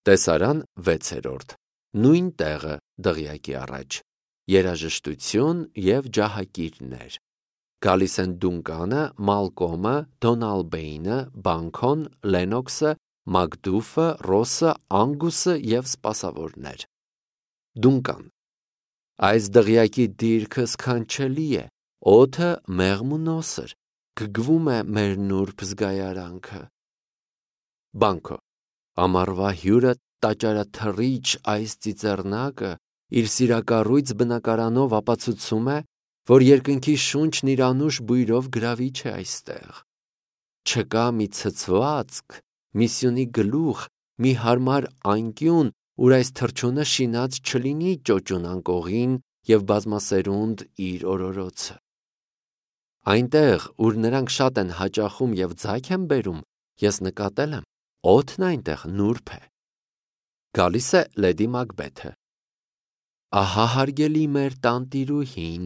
Տեսարան 6-րդ. Նույն տեղը դղյակի առաջ. երաժշտություն և ջահակիրներ. գալիս են Դունկանը, Մալկոմը, Դոնալբեյնը, Բանքոն, Լենոքսը, Մակդուֆը, Ռոսը, Անգուսը և սպասավորներ: Դունկան. այս դղյակի դիրքը սքանչելի է, օդը մեղմ ու նոսր, գգվում է մեր նուրբ զգայարանքը: Բանքո. ամառվա հյուրը տաճարաթռիչ այս ծիծեռնակը իր սիրակառույց բնակարանով ապացուցում է, որ երկնքի շունչն իր անուշ բույրով գրավիչ է այստեղ: Չկա մի ցցվածք, մի սյունի գլուխ, մի հարմար անկյուն, ուր այս թռչունը շինած չլինի ճոճուն անկողին և բազմասերունդ իր օրորոցը: Այնտեղ, ուր նրանք շատ են հաճախում և ձագ են բերում, ես նկատել եմ, օդն այնտեղ նուրբ է: Գալիս է լեդի Մակբեթը. ահա հարգելի մեր տանտիրուհին,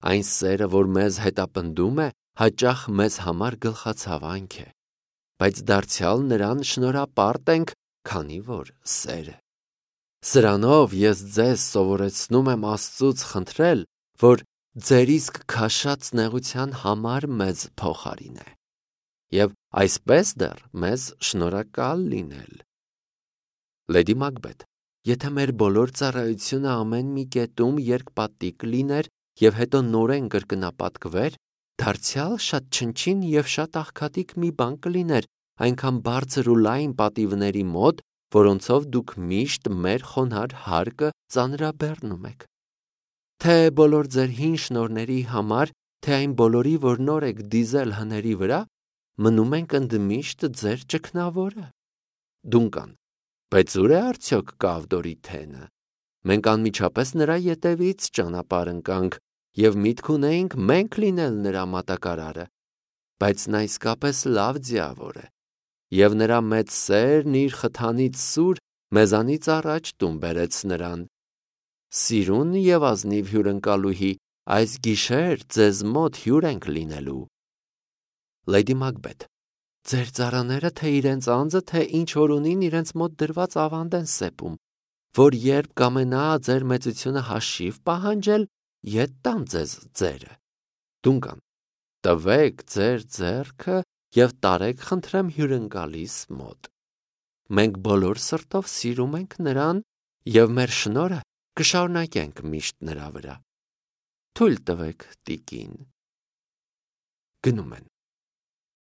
այն սերը, որ մեզ հետապնդում է, հաճախ մեզ համար գլխացավանք է, բայց դարձյալ նրան շնորհապարտ ենք, քանի որ սեր է: Սրանով ես ձեզ սովորեցնում եմ Աստծուց խնդրել, որ ձեր իսկ քաշած նեղության համար մեզ փոխարինե և այսպես դեռ մեզ շնորհակալ լինել: Լեդի Մակբեթ. եթե մեր բոլոր ծառայությունը ամեն մի կետում երկպատիկ լիներ և հետո նորեն կրկնապատկվեր, դարձյալ շատ չնչին և շատ աղքատիկ մի բան կլիներ այնքան բարձր ու լայն պատիվների մոտ, որոնցով դուք միշտ մեր խոնարհ հարկը ծանրաբեռնում եք: Թե բոլոր ձեր հին շնորհների համար, թե այն բոլորի, որ նոր եք դիզել հների վրա, մնում ենք ընդմիշտ ձեր ճգնավորը: Դունկան. բայց ո՞ւր է արդյոք Կավդորի թենը: Մենք անմիջապես նրա ետևից ճանապարհ ընկանք և միտք ունեինք մենք լինել նրա մատակարարը, բայց նա իսկապես լավ ձիավոր է, և նրա մեծ սերն իր խթանիչ սուր մեզանից առաջ տուն բերեց նրան: Սիրուն և ազնիվ հյուրընկալուհի, այս գիշեր ձեզ մոտ հյուր ենք լինելու: Լեդի Մակբեթ. ձեր ծառաները թե իրենց անձը, թե ինչ որ ունին իրենց մոտ դրված ավանդ են սեպում, որ երբ կամենա ձեր մեծությունը հաշիվ պահանջել, ետ տան ձեզ ձերը: Դունկան. տվեք ձեր ձեռքը և տարեք խնդրեմ հյուրընկալիս մոտ: Մենք բոլոր սրտով սիրում ենք նրան և մեր շնորհը կշարունակենք միշտ նրա վրա: Թույլ տվեք տիկին: Գնում են: